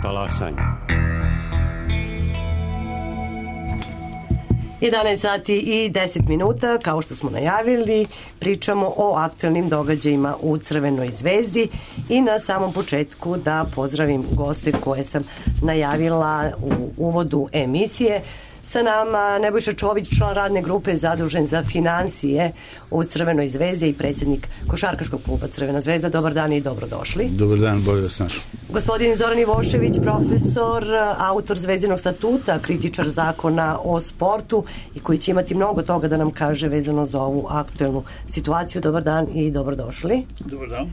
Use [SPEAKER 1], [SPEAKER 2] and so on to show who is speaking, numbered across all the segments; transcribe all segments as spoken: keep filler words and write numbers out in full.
[SPEAKER 1] Talasanje.
[SPEAKER 2] jedanaest sati i deset minuta, kao što smo najavili, pričamo o aktualnim događajima u Crvenoj zvezdi i na samom početku da pozdravim goste koje sam najavila u uvodu emisije. Sa nama Nebojša Čović, član radne grupe zadužen za finansije u Crvenoj zvezdi i predsjednik košarkaškog kluba Crvena zvezda. Dobar dan i dobrodošli.
[SPEAKER 3] Dobar dan, bolje da snaš.
[SPEAKER 2] Gospodin Zoran Ivošević, profesor, autor Zvezdinog statuta, kritičar zakona o sportu i koji će imati mnogo toga da nam kaže vezano za ovu aktuelnu situaciju. Dobar dan i dobrodošli.
[SPEAKER 4] Dobar dan.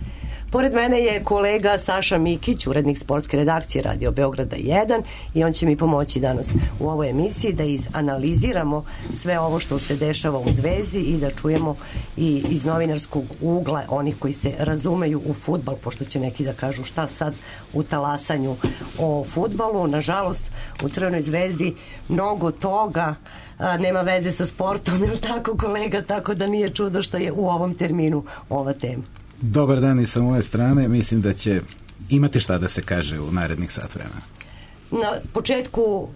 [SPEAKER 2] Pored mene je kolega Saša Mikić, urednik sportske redakcije Radio Beograda jedan, i on će mi pomoći danas u ovoj emisiji da izanaliziramo sve ovo što se dešava u Zvezdi i da čujemo i iz novinarskog ugla onih koji se razumeju u fudbal, pošto će neki da kažu šta sad u talasanju o fudbalu. Nažalost, u Crvenoj zvezdi mnogo toga a, nema veze sa sportom, je li tako, kolega? Tako da nije čudo što je u ovom terminu ova tema.
[SPEAKER 3] Dobar dan i sa moje strane. Mislim da će imati šta da se kaže u narednih sat vremena.
[SPEAKER 2] Na početku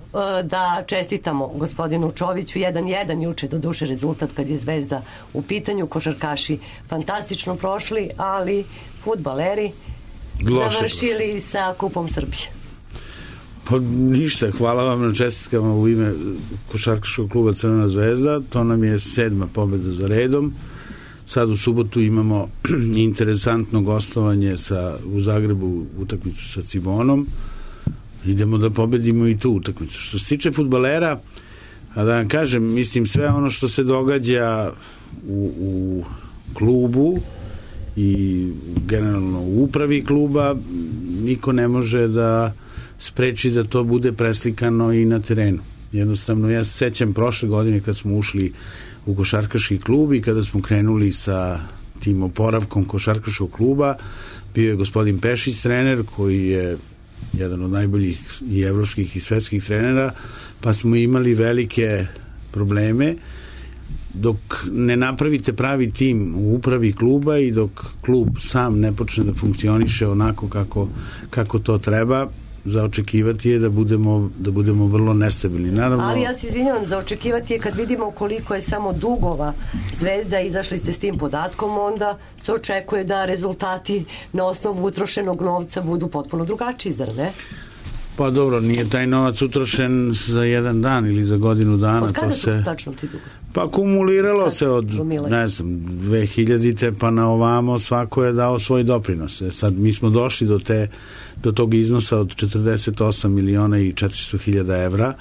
[SPEAKER 2] da čestitamo gospodinu Čoviću. jedan jedan juče, do duše rezultat kad je Zvezda u pitanju. Košarkaši fantastično prošli, ali fudbaleri
[SPEAKER 3] Loše
[SPEAKER 2] završili
[SPEAKER 3] prošli
[SPEAKER 2] sa Kupom Srbije.
[SPEAKER 3] Pa ništa, hvala vam na čestitkama u ime košarkaškog kluba Crvena zvezda. To nam je sedma pobjeda za redom. Sad u subotu imamo interesantno gostovanje sa, u Zagrebu, utakmicu sa Cibonom. Idemo da pobedimo i tu utakmicu. Što se tiče fudbalera, a da vam kažem, mislim, sve ono što se događa u, u klubu i generalno u upravi kluba, niko ne može da spreči da to bude preslikano i na terenu. Jednostavno, ja se sećam prošle godine kad smo ušli u košarkaški klub i kada smo krenuli sa tim oporavkom košarkaškog kluba, bio je gospodin Pešić trener, koji je jedan od najboljih i evropskih i svetskih trenera, pa smo imali velike probleme. Dok ne napravite pravi tim u upravi kluba i dok klub sam ne počne da funkcioniše onako kako, kako to treba, za očekivati je da budemo, da budemo vrlo nestabilni. Naravno,
[SPEAKER 2] ali ja se izvinjavam, za očekivati je kad vidimo koliko je samo dugova Zvezda, izašli ste s tim podatkom, onda se očekuje da rezultati na osnovu utrošenog novca budu potpuno drugačiji, zar ne?
[SPEAKER 3] Pa dobro, nije taj novac utrošen za jedan dan ili za godinu dana.
[SPEAKER 2] Od kada
[SPEAKER 3] to
[SPEAKER 2] su
[SPEAKER 3] se
[SPEAKER 2] tačno ti dugovi?
[SPEAKER 3] Pa kumuliralo
[SPEAKER 2] Kad
[SPEAKER 3] se od, ne znam, dve hiljadite pa na ovamo, svako je dao svoj doprinos. E sad, mi smo došli do te do tog iznosa od četrdeset osam miliona i četiristo hiljada evra.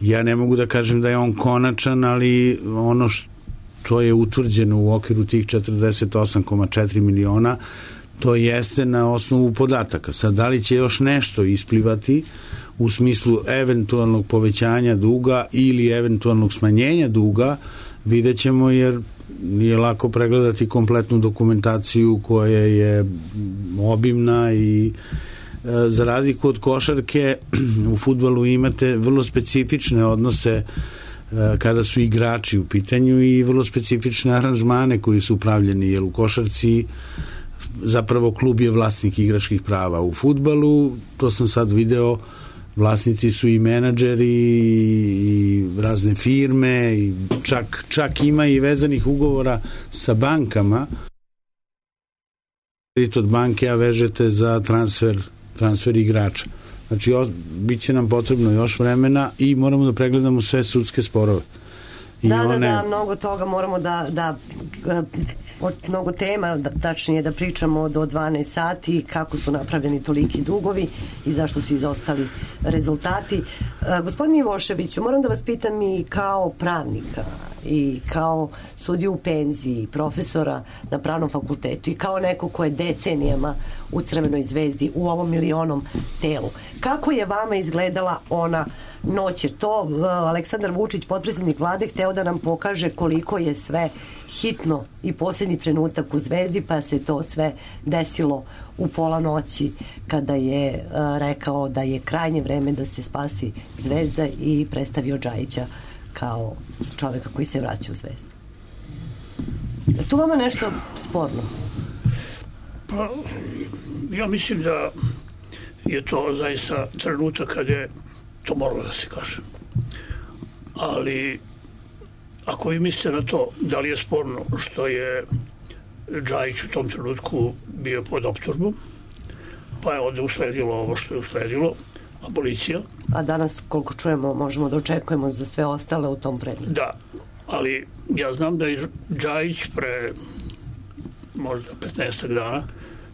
[SPEAKER 3] Ja ne mogu da kažem da je on konačan, ali ono što je utvrđeno u okviru tih četrdeset osam zarez četiri miliona, to jeste na osnovu podataka. Sad, da li će još nešto isplivati u smislu eventualnog povećanja duga ili eventualnog smanjenja duga, vidjet ćemo, jer nije lako pregledati kompletnu dokumentaciju koja je obimna i e, za razliku od košarke u fudbalu imate vrlo specifične odnose e, kada su igrači u pitanju i vrlo specifične aranžmane koji su upravljeni, jer u košarci zapravo klub je vlasnik igračkih prava. U fudbalu, to sam sad video, vlasnici su i menadžeri i razne firme i čak, čak ima i vezanih ugovora sa bankama. Od banke a vežete za transfer, transfer igrača. Znači, bit će nam potrebno još vremena i moramo da pregledamo sve sudske sporove. I
[SPEAKER 2] da,
[SPEAKER 3] one...
[SPEAKER 2] da, da, mnogo toga moramo da, da od mnogo tema, da, tačnije da pričamo do dvanaest sati, kako su napravljeni toliki dugovi i zašto su izostali rezultati. A, gospodine Ivoševiću, moram da vas pitam i kao pravnika i kao sudiju u penziji, profesora na pravnom fakultetu i kao neko ko je decenijama u Crvenoj zvezdi, u ovom milionom telu. Kako je vama izgledala ona noć? Je to Aleksandar Vučić, potpredsjednik vlade, hteo da nam pokaže koliko je sve hitno i posljednji trenutak u Zvezdi, pa se to sve desilo u pola noći kada je uh, rekao da je krajnje vreme da se spasi Zvezda i predstavio Džajića kao čoveka koji se vraća u Zvezdu. Je tu vama nešto sporno?
[SPEAKER 4] Pa, ja mislim da
[SPEAKER 1] je to zaista trenutak kad je to moralo da se kaže. Ali ako vi mislite na to da li je sporno što je Džajić u tom trenutku bio pod optužbom, pa je ovde usledilo ovo što je usledilo, abolicija.
[SPEAKER 2] A danas, koliko čujemo, možemo da očekujemo za sve ostale u tom predmetu.
[SPEAKER 1] Da, ali ja znam da je Džajić pre možda petnaestak dana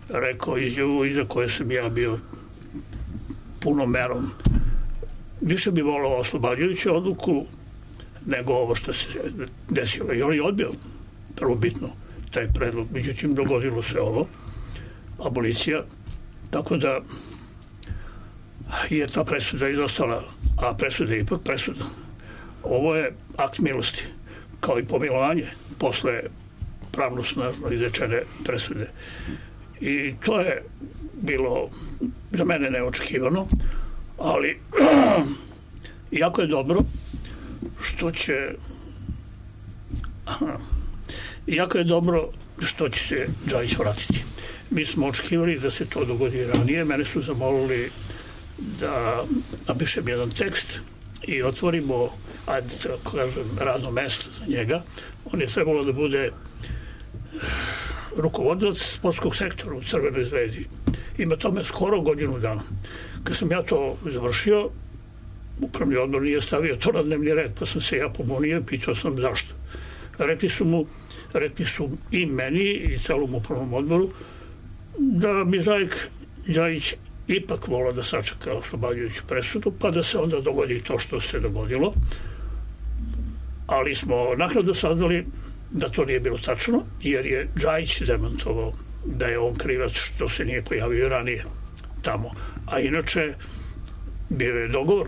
[SPEAKER 1] rekao izjavu iza koje sam ja bio punom merom. Više bi volao oslobađajuću odluku nego ovo što se desilo. I on je odbio prvobitno taj predlog. Međutim, dogodilo se ovo, abolicija, tako da je ta presuda izostala, a presuda je ipak presuda. Ovo je akt milosti, kao i pomilovanje posle pravno snažno izrečene presude. I to je bilo za mene neočekivano, ali jako je dobro što će jako je dobro što će se Džajić vratiti. Mi smo očekivali da se to dogodi ranije. Mene su zamolili da napišem jedan tekst i otvorimo, ajde, kažem, radno mesto za njega. On je trebalo da bude rukovodilac sportskog sektora u Crvenoj zvezdi. Ima tome skoro godinu dana. Kad sam ja to završio, upravni odbor nije stavio to na dnevni red, pa sam se ja pobunio i pitao sam zašto. Rekli su mu, rekli su i meni i celom upravnom odboru da bi Žajk Džajić ipak volao da sačeka oslobađajuću presudu, pa da se onda dogodi to što se dogodilo. Ali smo naknadno saznali da to nije bilo tačno, jer je Džajić demantovao da je on krivac što se nije pojavio ranije tamo. A inače, bio je dogovor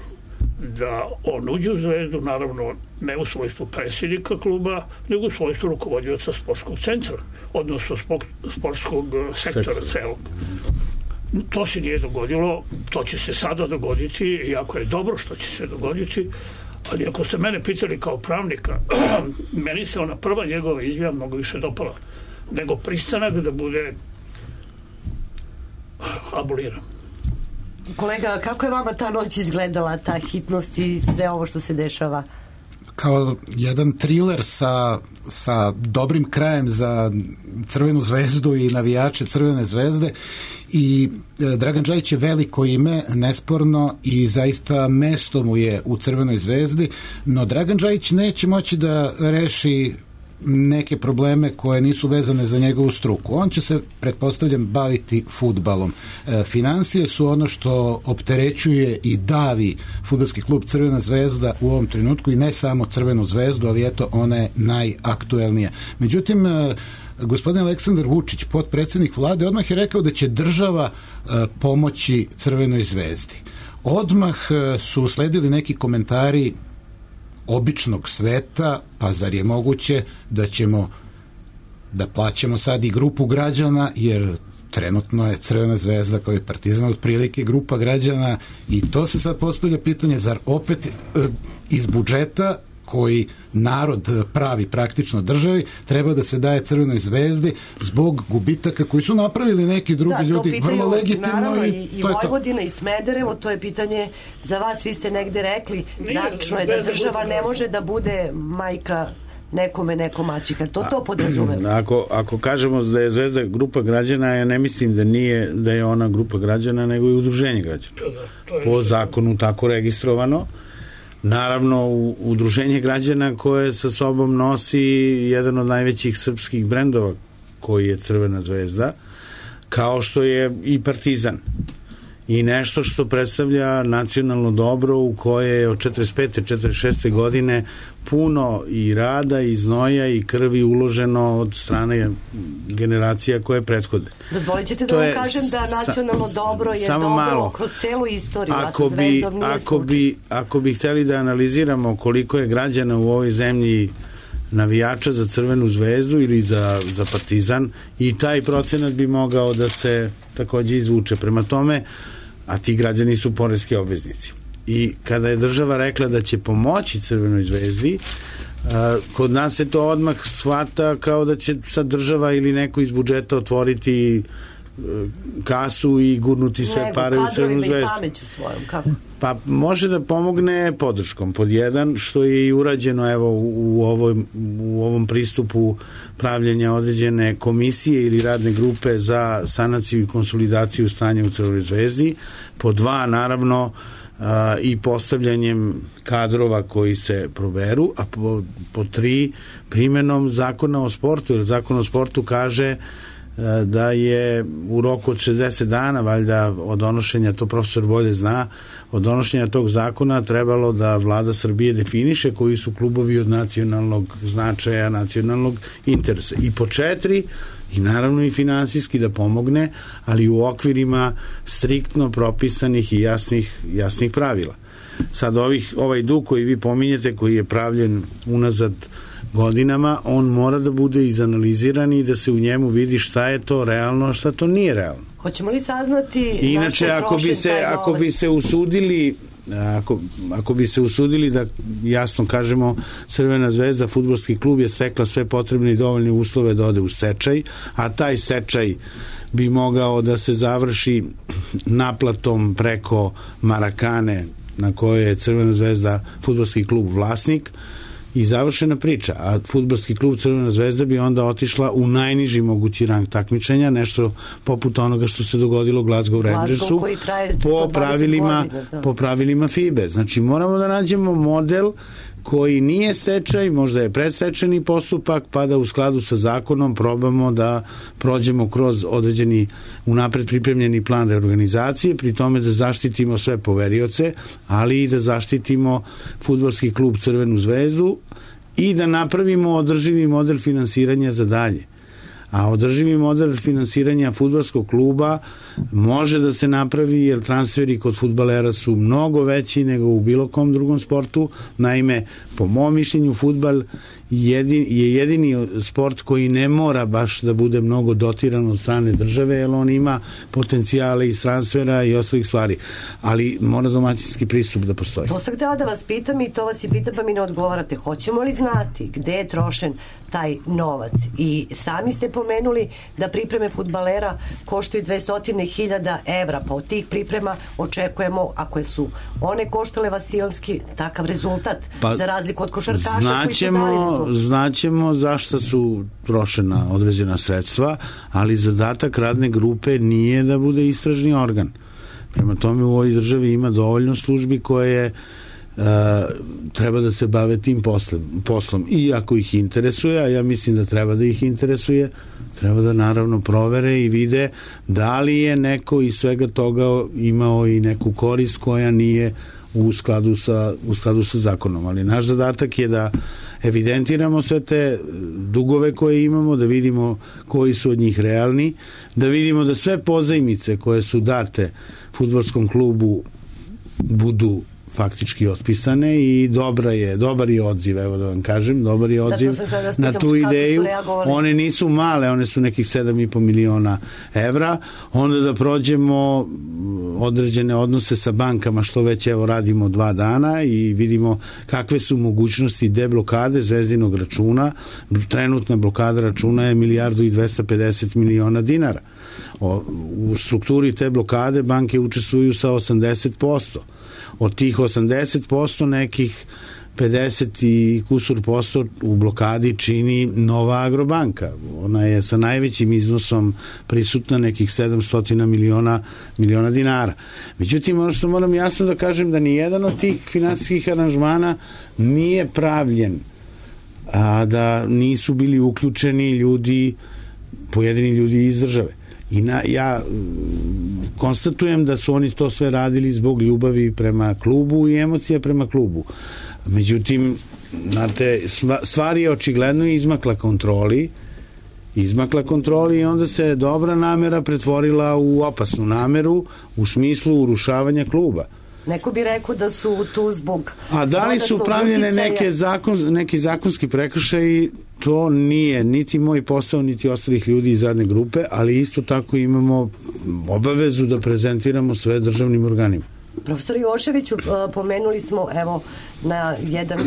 [SPEAKER 1] da on uđe u Zvezdu, naravno ne u svojstvu predsjednika kluba, nego u svojstvu rukovodioca sportskog centra, odnosno sportskog sektora celog. To se nije dogodilo, to će se sada dogoditi, iako je dobro što će se dogoditi, ali ako ste mene pitali kao pravnika, meni se ona prva njegova izjava mnogo više dopala, nego pristanak da bude aboliran.
[SPEAKER 2] Kolega, kako je vama ta noć izgledala, ta hitnost i sve ovo što se dešava?
[SPEAKER 4] Kao jedan thriller sa, sa dobrim krajem za Crvenu zvezdu i navijače Crvene zvezde. I Dragan Džajić je veliko ime, nesporno, i zaista mesto mu je u Crvenoj zvezdi, no Dragan Džajić neće moći da reši neke probleme koje nisu vezane za njegovu struku. On će se, pretpostavljam, baviti fudbalom. E, financije su ono što opterećuje i davi fudbalski klub Crvena zvezda u ovom trenutku, i ne samo Crvenu zvezdu, ali eto, ona je najaktuelnija. Međutim, e, gospodin Aleksandar Vučić, potpredsednik vlade, odmah je rekao da će država e, pomoći Crvenoj zvezdi. Odmah e, su usledili neki komentari običnog sveta, pa zar je moguće da ćemo da plaćamo sad i grupu građana, jer trenutno je Crvena zvezda kao i Partizan otprilike grupa građana, i to se sad postavlja pitanje, zar opet e, iz budžeta koji narod pravi praktično državi, treba da se daje Crvenoj zvezdi zbog gubitaka koji su napravili neki drugi da, ljudi vrlo legitimno.
[SPEAKER 2] Naravno, i, i, i Vojvodina i Smederevo, to je pitanje za vas, vi ste negde rekli, tačno je da država ne može da bude majka nekome, neko maćika. To to podrazumeva.
[SPEAKER 3] Ako, ako kažemo da je Zvezda grupa građana, ja ne mislim da nije da je ona grupa građana, nego i udruženje građana. Po zakonu tako registrovano. Naravno, udruženje građana koje sa sobom nosi jedan od najvećih srpskih brendova koji je Crvena zvezda, kao što je i Partizan. I nešto što predstavlja nacionalno dobro u koje je od četrdeset pete četrdeset šeste godine puno i rada i znoja i krvi uloženo od strane generacija koje prethode.
[SPEAKER 2] Dozvolit ćete da vam kažem da nacionalno dobro je dobro malo. Kroz celu istoriju.
[SPEAKER 3] Ako bi, ako, bi, ako bi hteli da analiziramo koliko je građana u ovoj zemlji navijača za Crvenu zvezdu ili za, za Partizan, i taj procenat bi mogao da se takođe izvuče. Prema tome, a ti građani su poreski obveznici. I kada je država rekla da će pomoći Crvenoj zvezdi, kod nas se to odmah shvata kao da će sad država ili neko iz budžeta otvoriti kasu i gurnuti sve pare u Crvenu zvezdu.
[SPEAKER 2] Svojom, kako?
[SPEAKER 3] Pa može da pomogne podrškom, pod jedan, što je i urađeno evo u, ovoj, u ovom pristupu pravljenja određene komisije ili radne grupe za sanaciju i konsolidaciju stanja u Crvenoj zvezdi, pod dva, naravno, a, i postavljanjem kadrova koji se proberu, a po, po tri, primenom zakona o sportu, jer zakon o sportu kaže da je u roku od šezdeset dana, valjda od donošenja, to profesor bolje zna, od donošenja tog zakona trebalo da vlada Srbije definiše koji su klubovi od nacionalnog značaja, nacionalnog interesa. I po četiri, i naravno i finansijski da pomogne, ali u okvirima striktno propisanih i jasnih, jasnih pravila. Sad ovih, ovaj dug koji vi pominjete, koji je pravljen unazad godinama, on mora da bude izanaliziran i da se u njemu vidi šta je to realno, a šta to nije realno.
[SPEAKER 2] Hoćemo li saznati...
[SPEAKER 3] Inače, ako bi se, ako bi se usudili Ako, ako bi se usudili da jasno kažemo Crvena zvezda, fudbalski klub je stekla sve potrebne i dovoljne uslove da ode u stečaj, a taj stečaj bi mogao da se završi naplatom preko Marakane na kojoj je Crvena zvezda, fudbalski klub, vlasnik, i završena priča, a fudbalski klub Crvena zvezda bi onda otišla u najniži mogući rang takmičenja, nešto poput onoga što se dogodilo Glasgow Rangersu po pravilima,
[SPEAKER 2] godina,
[SPEAKER 3] po pravilima F I B E. Znači moramo da nađemo model koji nije stečaj, možda je predstečajni postupak, pa da u skladu sa zakonom probamo da prođemo kroz određeni unapred pripremljeni plan reorganizacije, pri tome da zaštitimo sve poverioce, ali i da zaštitimo fudbalski klub Crvenu zvezdu i da napravimo održivi model finansiranja za dalje. A održivi model finansiranja fudbalskog kluba može da se napravi jer transferi kod fudbalera su mnogo veći nego u bilo kom drugom sportu. Naime, po mom mišljenju, fudbal jedin, je jedini sport koji ne mora baš da bude mnogo dotiran od strane države, jer on ima potencijale iz transfera i ostalih stvari. Ali mora domaćinski pristup da postoji.
[SPEAKER 2] To sam htjela da vas pitam i to vas i pitam pa mi ne odgovarate. Hoćemo li znati gde je trošen taj novac? I sami ste pomenuli da pripreme fudbalera koštaju dvesta hiljada evra, pa od tih priprema očekujemo, ako su one koštale vasionski, takav rezultat, pa, za razliku od košarkaša
[SPEAKER 3] znaćemo,
[SPEAKER 2] koji su dali rezultat.
[SPEAKER 3] Znaćemo zašto su trošena određena sredstva, ali zadatak radne grupe nije da bude istražni organ. Prema tome u ovoj državi ima dovoljno službi koje Uh, treba da se bave tim poslom, poslom i ako ih interesuje, a ja mislim da treba da ih interesuje, treba da naravno provere i vide da li je neko iz svega toga imao i neku korist koja nije u skladu sa, u skladu sa zakonom, ali naš zadatak je da evidentiramo sve te dugove koje imamo, da vidimo koji su od njih realni, da vidimo da sve pozajmice koje su date fudbalskom klubu budu faktički otpisane i dobra je, dobar je odziv, evo da vam kažem, dobar je odziv da, da na tu ideju. One nisu male, one su nekih sedam i po miliona evra. Onda da prođemo određene odnose sa bankama, što već evo radimo dva dana i vidimo kakve su mogućnosti deblokade zvezdinog računa. Trenutna blokada računa je milijardu i dvesta pedeset miliona dinara. O, u strukturi te blokade banke učestvuju sa osamdeset posto. Od tih osamdeset posto nekih pedeset i kusur posto u blokadi čini Nova Agrobanka. Ona je sa najvećim iznosom prisutna, nekih sedamsto miliona, miliona dinara. Međutim, ono što moram jasno da kažem, da ni jedan od tih finansijskih aranžmana nije pravljen, a da nisu bili uključeni ljudi, pojedini ljudi iz države. I na, ja konstatujem da su oni to sve radili zbog ljubavi prema klubu i emocija prema klubu. Međutim, znate, stvar je očigledno izmakla kontroli, izmakla kontroli i onda se dobra namera pretvorila u opasnu nameru u smislu urušavanja kluba.
[SPEAKER 2] Neko bi rekao da su tu zbog...
[SPEAKER 3] A da li su pravljene neke, zakon, neki zakonski prekršaji, to nije niti moj posao, niti ostalih ljudi iz radne grupe, ali isto tako imamo obavezu da prezentiramo sve državnim organima.
[SPEAKER 2] Profesor Joševiću, pomenuli smo evo na jedan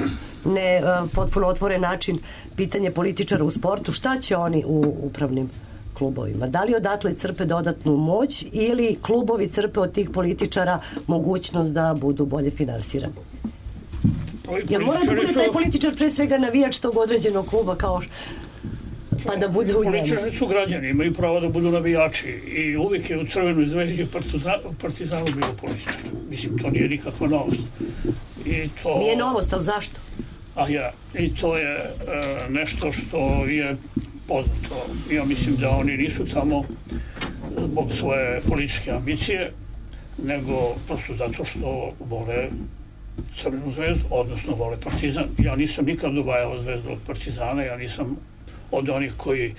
[SPEAKER 2] ne potpuno otvoren način pitanje političara u sportu. Šta će oni u upravnim klubovima? Da li odatle crpe dodatnu moć ili klubovi crpe od tih političara mogućnost da budu bolje finansirani? Jer mora da bude taj političar pre svega navijač tog određenog kluba kao pa da bude u njemu.
[SPEAKER 1] Političari su građani, imaju pravo da budu navijači i uvijek je u Crvenoj zvezdi u Partizanu bilo političar. Mislim, to nije nikakva novost. I to...
[SPEAKER 2] Nije novost, ali zašto?
[SPEAKER 1] A ja, i to je e, nešto što je poznato. Ja mislim da oni nisu tamo zbog svoje političke ambicije, nego prosto zato što vole Crvenu zvezdu, odnosno vole Partizan. Ja nisam nikad dobajao zvezdu od Partizana, ja nisam od onih koji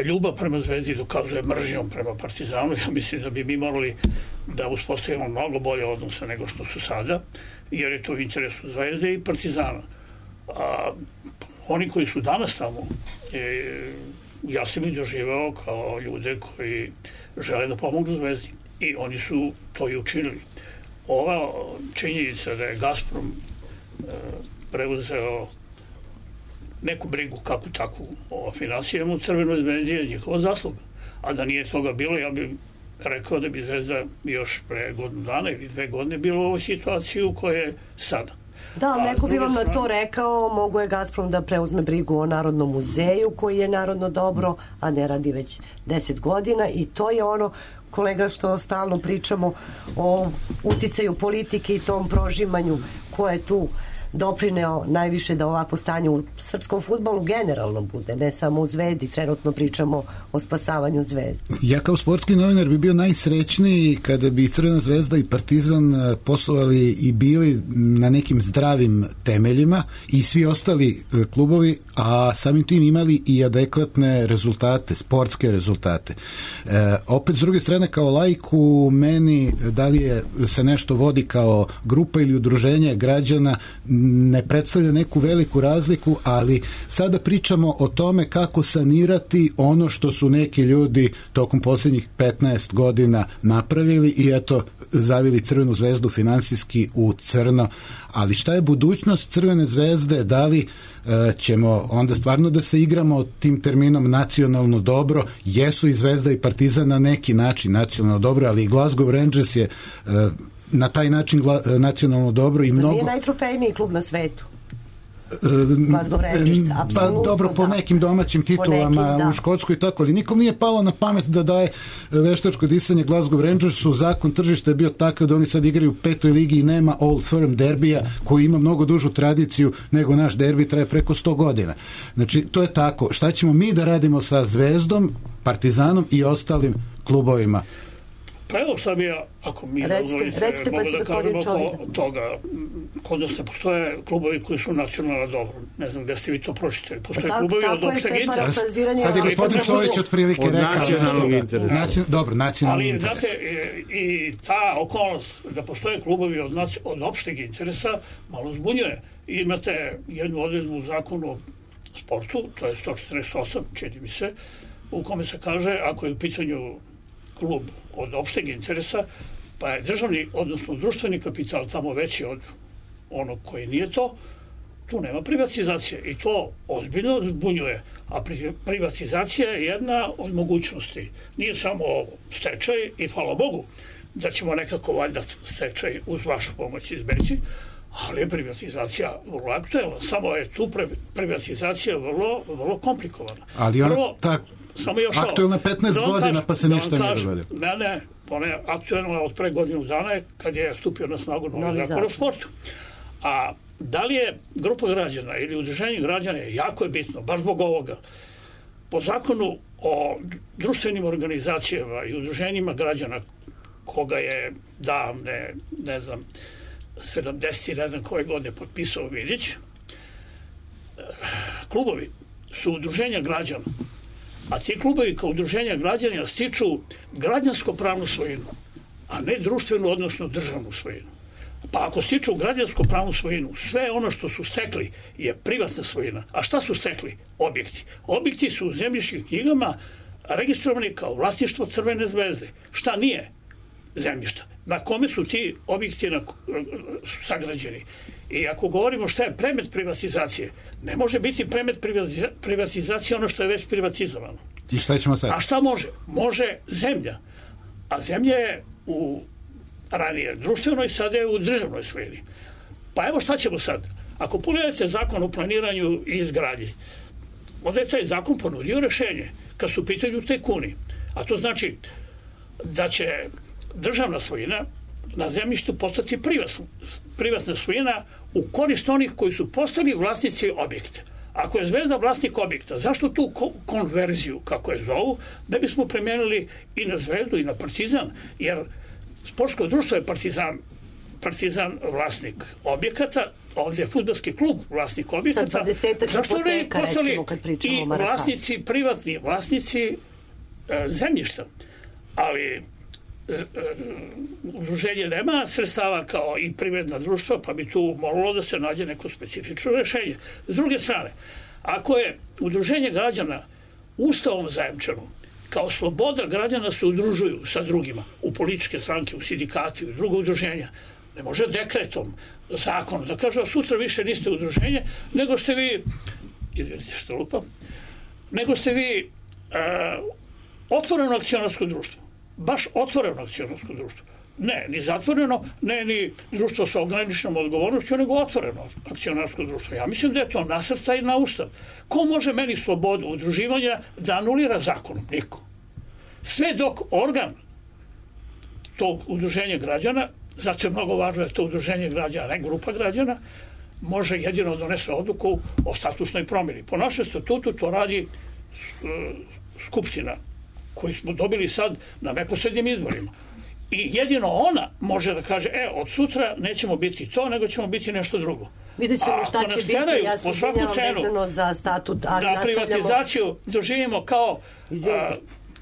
[SPEAKER 1] ljubav prema zvezdi dokazuje mržnjom prema Partizanu. Ja mislim da bi mi morali da uspostavimo mnogo bolje odnose nego što su sada, jer je to u interesu zvezde i Partizana. A oni koji su danas tamo, e, ja sam ih doživao kao ljude koji žele da pomognu zvezdi i oni su to i učinili. Ova činjenica da je Gazprom e, preuzeo neku brigu kako takvu o finansijama u Crvenoj zvezdi je njihova zasluga. A da nije toga bilo, ja bih rekao da bi Zvezda još pre godinu dana ili dve godine bilo u ovoj situaciji u kojoj je sada.
[SPEAKER 2] Da, ali neko bi vam na to rekao, mogu je Gazprom da preuzme brigu o Narodnom muzeju koji je narodno dobro, a ne radi već deset godina i to je ono, kolega, što stalno pričamo o uticaju politike i tom prožimanju ko je tu doprineo najviše da ovako stanje u srpskom fudbalu generalno bude, ne samo u Zvezdi, trenutno pričamo o spasavanju Zvezde.
[SPEAKER 4] Ja kao sportski novinar bi bio najsrećniji kada bi Crvena zvezda i Partizan poslovali i bili na nekim zdravim temeljima i svi ostali klubovi, a samim tim imali i adekvatne rezultate, sportske rezultate. E, opet s druge strane kao laiku meni da li je, se nešto vodi kao grupa ili udruženje građana ne predstavlja neku veliku razliku, ali sada pričamo o tome kako sanirati ono što su neki ljudi tokom posljednjih petnaest godina napravili i eto zavili Crvenu zvezdu finansijski u crno. Ali šta je budućnost Crvene zvezde? Da li e, ćemo onda stvarno da se igramo tim terminom nacionalno dobro? Jesu i Zvezda i Partizan na neki način nacionalno dobro, ali i Glasgow Rangers je e, na taj način gla, nacionalno dobro i
[SPEAKER 2] Zar
[SPEAKER 4] mnogo...
[SPEAKER 2] nije najtrofejniji klub na svetu? Glasgow Rangers,
[SPEAKER 4] pa dobro, po
[SPEAKER 2] da.
[SPEAKER 4] nekim domaćim titulama
[SPEAKER 2] nekim, da.
[SPEAKER 4] U Škotskoj i tako, ali nikom nije palo na pamet da daje veštačko disanje Glasgow Rangersu. Zakon tržišta je bio takav da oni sad igraju u petoj ligi i nema Old Firm derbija koji ima mnogo dužu tradiciju nego naš derbi, traje preko sto godina. Znači, to je tako. Šta ćemo mi da radimo sa Zvezdom, Partizanom i ostalim klubovima?
[SPEAKER 1] Pa evo šta bi ja, ako mi
[SPEAKER 2] recite,
[SPEAKER 1] mogu da kažemo oko toga, kod da se postoje klubovi koji su nacionalno dobro. Ne znam gde ste vi to pročitali. Postoje
[SPEAKER 2] tako,
[SPEAKER 1] klubovi
[SPEAKER 2] tako
[SPEAKER 1] od opšteg interesa.
[SPEAKER 4] Sad je gospodin Čović otprilike
[SPEAKER 3] rekao. Od nacionalnog interesa.
[SPEAKER 4] Nacion, dobro, nacionalni
[SPEAKER 1] ali,
[SPEAKER 4] interes.
[SPEAKER 1] znate, i, i ta okolnost da postoje klubovi od, naci, od opšteg interesa malo zbunjuje. I imate jednu odredbu u zakonu o sportu, to je sto četrdeset osam, čini mi se, u kome se kaže, ako je u pitanju klub od opšteg interesa, pa je državni, odnosno društveni kapital tamo veći od onog koji nije to, tu nema privatizacije i to ozbiljno zbunjuje. A privatizacija je jedna od mogućnosti. Nije samo stečaj i hvala Bogu da ćemo nekako valjda stečaj uz vašu pomoć izbeći, ali je privatizacija vrlo aktuelna. Samo je tu privatizacija vrlo, vrlo komplikovana.
[SPEAKER 4] Ali ona
[SPEAKER 1] Prvo,
[SPEAKER 4] tak,
[SPEAKER 1] samo još
[SPEAKER 4] aktuelna petnaest
[SPEAKER 1] da
[SPEAKER 4] godina
[SPEAKER 1] kažem,
[SPEAKER 4] pa se
[SPEAKER 1] da
[SPEAKER 4] ništa ne
[SPEAKER 1] kažem,
[SPEAKER 4] događa.
[SPEAKER 1] Ne, ne, ona je aktuelna od pre godinu dana kad je stupio na snagu novi zakon o sportu. A da li je grupa građana ili udruženje građana je jako je bitno, baš zbog ovoga. Po zakonu o društvenim organizacijama i udruženjima građana koga je davne, ne znam, sedamdeset ne znam koje godine potpisao Vidić, klubovi su udruženja građana, a ti klubovi kao udruženja građana stiču građansko-pravnu svojinu, a ne društvenu, odnosno državnu svojinu. Pa ako stiču građansko-pravnu svojinu, sve ono što su stekli je privatna svojina. A šta su stekli? Objekti. Objekti su u zemljišnim knjigama registrovani kao vlasništvo Crvene zvezde. Šta nije? Zemljišta. Na kome su ti objekti na, su sagrađeni. I ako govorimo šta je predmet privatizacije, ne može biti predmet privatizacije ono što je već privatizovano.
[SPEAKER 4] I šta ćemo sad?
[SPEAKER 1] A šta može? Može zemlja. A zemlja je u ranije društvenoj, sada je u državnoj svojini. Pa evo šta ćemo sad? Ako pogledate zakon o planiranju i izgradnji, onda je taj zakon ponudio rešenje kad su u pitanju tajkuni. A to znači da će državna svojina na zemljištu postati privatna svojina u korist onih koji su postali vlasnici objekta. Ako je Zvezda vlasnik objekta, zašto tu konverziju, kako je zovu, ne bismo primijenili i na Zvezdu i na Partizan, jer sportsko društvo je Partizan, Partizan vlasnik objekata, ovdje je fudbalski klub vlasnik objekata. Zašto ne postali i vlasnici privatni, vlasnici e, zemljišta? Ali udruženje nema sredstava kao i privredna društva, pa bi tu moralo da se nađe neko specifično rešenje. S druge strane, ako je udruženje građana ustavom zajamčeno, kao sloboda građana se udružuju sa drugima u političke stranke, u sindikati, u druga udruženja, ne može dekretom, zakonom, da kaže, sutra više niste udruženje, nego ste vi, izvinite što lupam, nego ste vi uh, otvoreno akcionarsko društvo. Baš otvoreno akcionarsko društvo. Ne, ni zatvoreno, ne ni društvo sa ograničenom odgovornošću, nego otvoreno akcionarsko društvo. Ja mislim da je to nasrtaj na ustav. Ko može meni slobodu udruživanja da anulira zakonom? Niko. Sve dok organ tog udruženja građana, zato je mnogo važno da je to udruženje građana, ne grupa građana, može jedino donese odluku o statusnoj promjeni. Po našem statutu to radi uh, Skupština, koji smo dobili sad na neposrednim izborima. I jedino ona može da kaže, e, od sutra nećemo biti to, nego ćemo biti nešto drugo.
[SPEAKER 2] Vidjet ćemo šta će biti, ja se izvinjavam vezano za statut, ali
[SPEAKER 1] da
[SPEAKER 2] nastavljamo...
[SPEAKER 1] privatizaciju doživimo kao, a,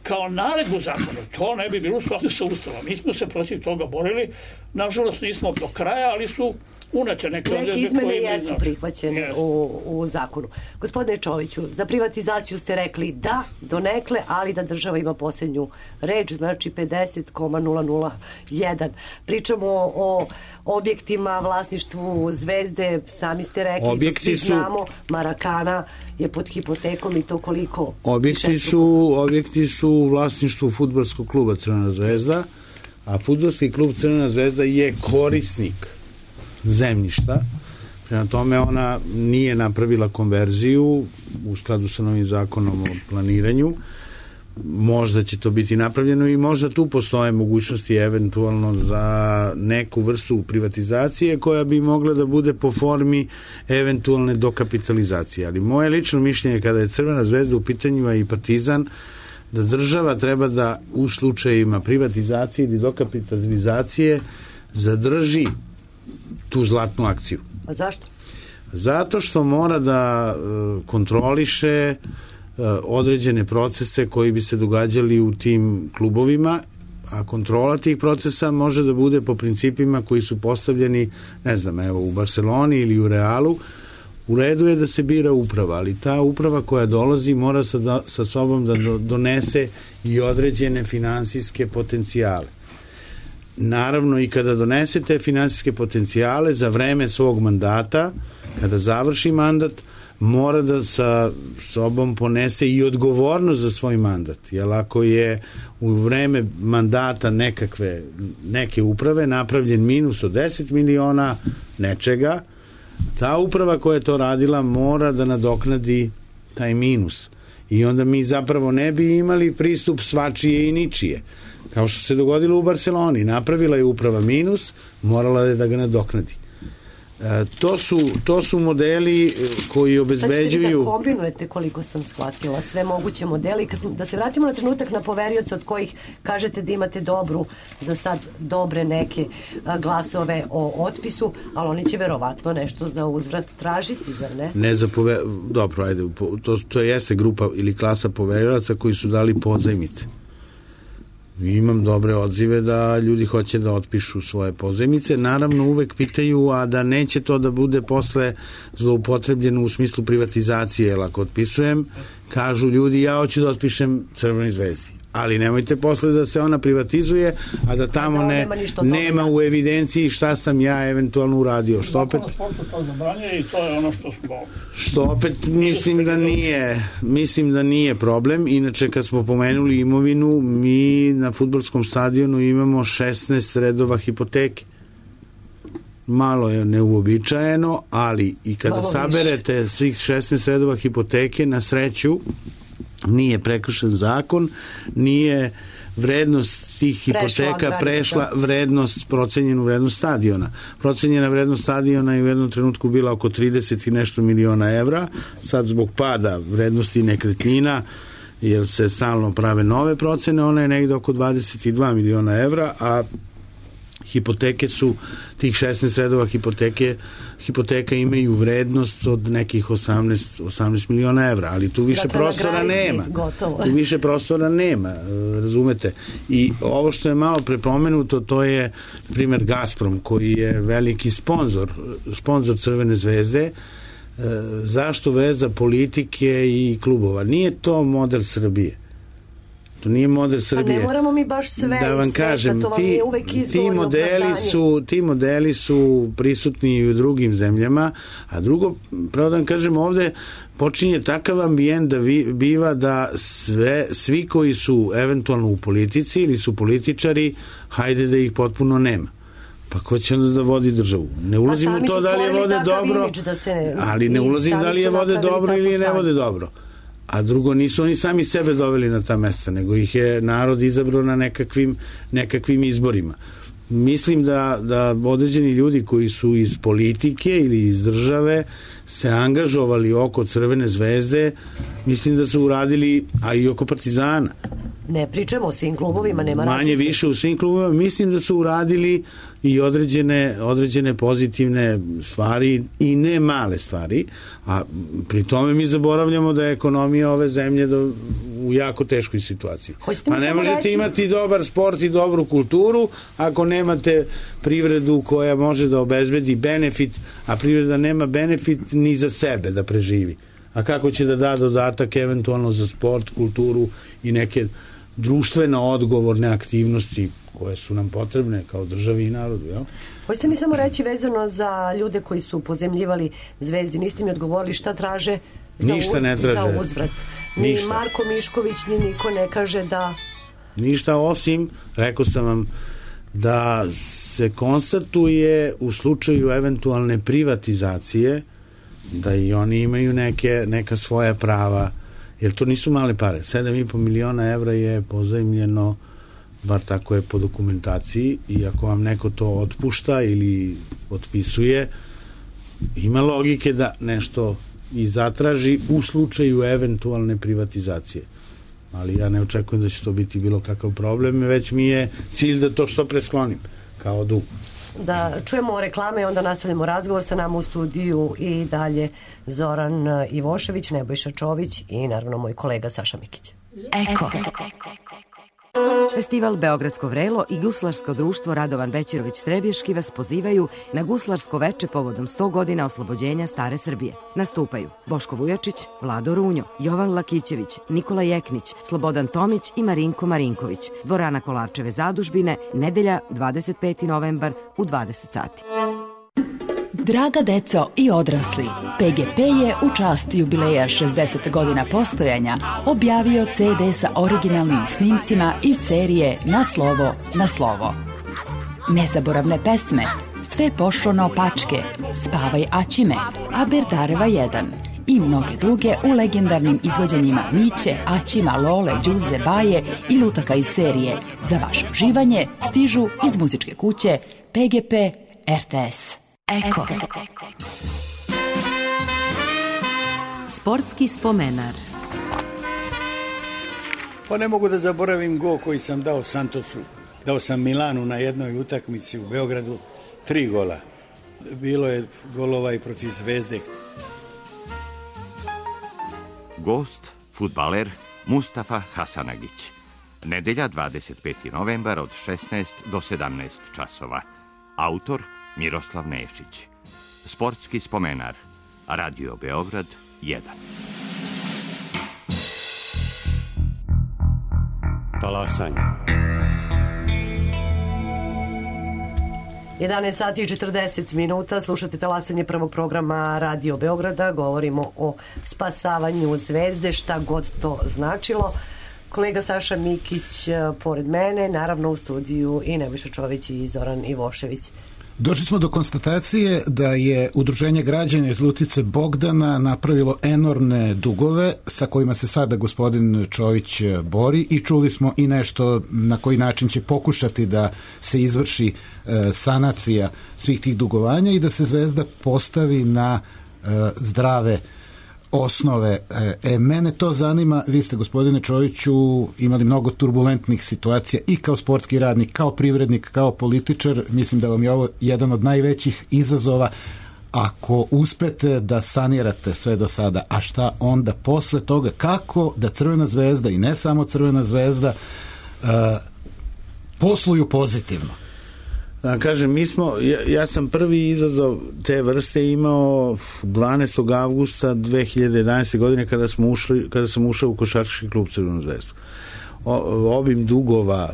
[SPEAKER 1] kao naredbu zakona. To ne bi bilo u skladu sa ustavom. Mi smo se protiv toga borili, nažalost nismo do kraja, ali su unete neke
[SPEAKER 2] odredbe koje izmene jesu prihvaćene yes. u, u zakonu. Gospodine Čoviću, za privatizaciju ste rekli da, donekle, ali da država ima posljednju reč, znači pedeset zarez nula nula jedan. Pričamo o, o objektima, vlasništvu Zvezde, sami ste rekli,
[SPEAKER 3] objekti
[SPEAKER 2] da svi znamo, Marakana je pod hipotekom i to koliko?
[SPEAKER 3] Objekti su, objekti su u vlasništvu fudbalskog kluba Crvena Zvezda, a fudbalski klub Crvena Zvezda je korisnik zemljišta. Prema tome ona nije napravila konverziju u skladu sa novim zakonom o planiranju. Možda će to biti napravljeno i možda tu postoje mogućnosti eventualno za neku vrstu privatizacije koja bi mogla da bude po formi eventualne dokapitalizacije. Ali moje lično mišljenje kada je Crvena Zvezda u pitanju, a i Partizan, da država treba da u slučajima privatizacije ili dokapitalizacije zadrži tu zlatnu akciju.
[SPEAKER 2] A zašto?
[SPEAKER 3] Zato što mora da uh, kontroliše uh, određene procese koji bi se događali u tim klubovima, a kontrola tih procesa može da bude po principima koji su postavljeni, ne znam, evo u Barceloni ili u Realu. U redu je da se bira uprava, ali ta uprava koja dolazi mora sa, da, sa sobom da do, donese i određene finansijske potencijale. Naravno, i kada donesete finansijske potencijale za vreme svog mandata, kada završi mandat, mora da sa sobom ponese i odgovornost za svoj mandat. Jer ako je u vreme mandata nekakve, neke uprave napravljen minus od deset miliona nečega, ta uprava koja je to radila mora da nadoknadi taj minus. I onda mi zapravo ne bi imali pristup svačije i ničije. Kao što se dogodilo u Barceloni. Napravila je uprava minus, morala je da ga nadoknadi. E, to, su, to su modeli koji obezbeđuju... Sad ćete vi da
[SPEAKER 2] kombinujete, koliko sam shvatila, sve moguće modeli. Kad smo, da se vratimo na trenutak na poverioce od kojih kažete da imate dobru, za sad dobre neke glasove o otpisu, ali oni će verovatno nešto za uzvrat tražiti, zar ne?
[SPEAKER 3] Ne za pover... Dobro, ajde, to, to jeste grupa ili klasa poverioca koji su dali pozajmice. Imam dobre odzive da ljudi hoće da otpišu svoje pozajmice. Naravno uvek pitaju, a da neće to da bude posle zloupotrebljeno u smislu privatizacije, jer ako otpisujem, kažu ljudi, ja hoću da otpišem Crvenoj Zvezdi. ali nemojte posle da se ona privatizuje, a da tamo
[SPEAKER 2] da,
[SPEAKER 3] ne,
[SPEAKER 2] nema,
[SPEAKER 3] nema u evidenciji šta sam ja eventualno uradio. Što opet,
[SPEAKER 1] to zabranje i to je ono što smo...
[SPEAKER 3] Što opet mislim da nije, mislim da nije problem. Inače, kad smo pomenuli imovinu, mi na fudbalskom stadionu imamo šesnaest redova hipoteke. Malo je neuobičajeno, ali i kada Malo saberete više. svih šesnaest redova hipoteke, na sreću nije prekršen zakon, nije vrednost tih hipoteka prešla, prešla vrednost, procenjenu vrednost stadiona. Procenjena vrednost stadiona je u jednom trenutku bila oko trideset i nešto miliona evra, sad zbog pada vrednosti nekretnina, jer se stalno prave nove procene, ona je negde oko dvadeset i dva miliona evra, a hipoteke su, tih šesnaest redova hipoteke, hipoteka imaju vrednost od nekih osamnaest miliona evra, ali tu više dakle, prostora nema. Gotovo. Tu više prostora nema, razumete. I ovo što je malo prepomenuto, to je, na primjer, Gazprom, koji je veliki sponzor, sponzor Crvene zvezde. Zašto veza politike i klubova? Nije to model Srbije. To nije model Srbije.
[SPEAKER 2] A ne moramo mi baš sve
[SPEAKER 3] da vam
[SPEAKER 2] sveta,
[SPEAKER 3] kažem,
[SPEAKER 2] to vam
[SPEAKER 3] ti,
[SPEAKER 2] je uvek
[SPEAKER 3] ti modeli su ti modeli su prisutni i u drugim zemljama, a drugo, pravo da vam kažem, ovde počinje takav ambijent da vi, biva da sve, svi koji su eventualno u politici ili su političari, hajde da ih potpuno nema. Pa ko će onda da vodi državu? Ne ulazim u to da li je vode dobro, da se, ali ne ulazim da li je vode dobro ili ne vode dobro. A drugo, nisu oni sami sebe doveli na ta mesta, nego ih je narod izabrao na nekakvim, nekakvim izborima. Mislim da, da određeni ljudi koji su iz politike ili iz države se angažovali oko Crvene zvezde, mislim da su uradili, a i oko Partizana.
[SPEAKER 2] Ne pričamo o svim klubovima, nema razlike.
[SPEAKER 3] Manje više u svim klubovima, mislim da su uradili i određene, određene pozitivne stvari i ne male stvari, a pri tome mi zaboravljamo da je ekonomija ove zemlje do, u jako teškoj situaciji. Pa ne možete reći... imati dobar sport i dobru kulturu ako nemate privredu koja može da obezbedi benefit, a privreda nema benefit ni za sebe da preživi. A kako će da da dodatak eventualno za sport, kulturu i neke društveno odgovorne aktivnosti koje su nam potrebne kao državi i narodu, jel?
[SPEAKER 2] Hoćete mi samo reći vezano za ljude koji su pozemljivali Zvezdi, niste mi odgovorili šta traže za,
[SPEAKER 3] Ništa
[SPEAKER 2] uz,
[SPEAKER 3] ne traže.
[SPEAKER 2] za uzvrat. Ni
[SPEAKER 3] Ništa.
[SPEAKER 2] Marko Mišković, ni niko ne kaže da...
[SPEAKER 3] Ništa, osim, rekao sam vam, da se konstatuje u slučaju eventualne privatizacije da i oni imaju neke, neka svoja prava, jer to nisu male pare. sedam i po miliona evra je pozajmljeno, bar tako je po dokumentaciji, i ako vam neko to otpušta ili otpisuje, ima logike da nešto i zatraži u slučaju eventualne privatizacije. Ali ja ne očekujem da će to biti bilo kakav problem, već mi je cilj da to što pre sklonim kao dug.
[SPEAKER 2] Da čujemo reklame i onda nastavljamo razgovor. Sa nama u studiju i dalje Zoran Ivošević, Nebojša Čović i naravno moj kolega Saša Mikić.
[SPEAKER 5] Eko. Festival Beogradsko vrelo i Guslarsko društvo Radovan Bećirović Trebješki vas pozivaju na guslarsko veče povodom sto godina oslobođenja Stare Srbije. Nastupaju Boško Vujačić, Vlado Runjo, Jovan Lakićević, Nikola Jeknić, Slobodan Tomić i Marinko Marinković. Dvorana Kolarčeve zadužbine, nedelja dvadeset peti novembar u dvadeset sati.
[SPEAKER 6] Draga deco i odrasli, P G P je u čast jubileja šezdeset godina postojanja objavio ce de sa originalnim snimcima iz serije Na slovo, na slovo. Nezaboravne pesme, Sve pošlo naopačke, Spavaj Aćime, Aberdareva jedan i mnoge druge u legendarnim izvođenjima Miće, Aćima, Lole, Đuze, Baje i lutaka iz serije. Za vaše uživanje stižu iz muzičke kuće P G P R T S. Eko.
[SPEAKER 5] Sportski spomenar.
[SPEAKER 7] Pa ne mogu da zaboravim gol koji sam dao Santosu. Dao sam Milanu na jednoj utakmici u Beogradu, tri gola. Bilo je golova i protiv Zvezde.
[SPEAKER 8] Gost, fudbaler Mustafa Hasanagić. Nedelja dvadeset peti novembar od šesnaest do sedamnaest časova. Autor Miroslav Nešić. Sportski spomenar. Radio Beograd jedan.
[SPEAKER 9] Talasanje.
[SPEAKER 2] jedanaest sati i četrdeset minuta, slušate talasanje prvog programa Radio Beograda, govorimo o spasavanju Zvezde, šta god to značilo. Kolega Saša Mikić pored mene, naravno u studiju i Nebojša Čović i Zoran Ivošević.
[SPEAKER 4] Došli smo do konstatacije da je Udruženje građana iz Lutice Bogdana napravilo enormne dugove sa kojima se sada gospodin Čović bori i čuli smo i nešto na koji način će pokušati da se izvrši e, sanacija svih tih dugovanja i da se Zvezda postavi na e, zdrave osnove. E, mene to zanima, vi ste gospodine Čoviću imali mnogo turbulentnih situacija i kao sportski radnik, kao privrednik, kao političar, mislim da vam je ovo jedan od najvećih izazova. Ako uspete da sanirate sve do sada, a šta onda posle toga, kako da Crvena zvezda i ne samo Crvena zvezda e, posluju pozitivno?
[SPEAKER 3] Da, kažem, mi smo, ja, ja sam prvi izazov te vrste imao dvanaestog avgusta dve hiljade jedanaeste. godine kada smo ušli, kada sam ušao u košarkaški klub Crvenu zvezdu. O, obim dugova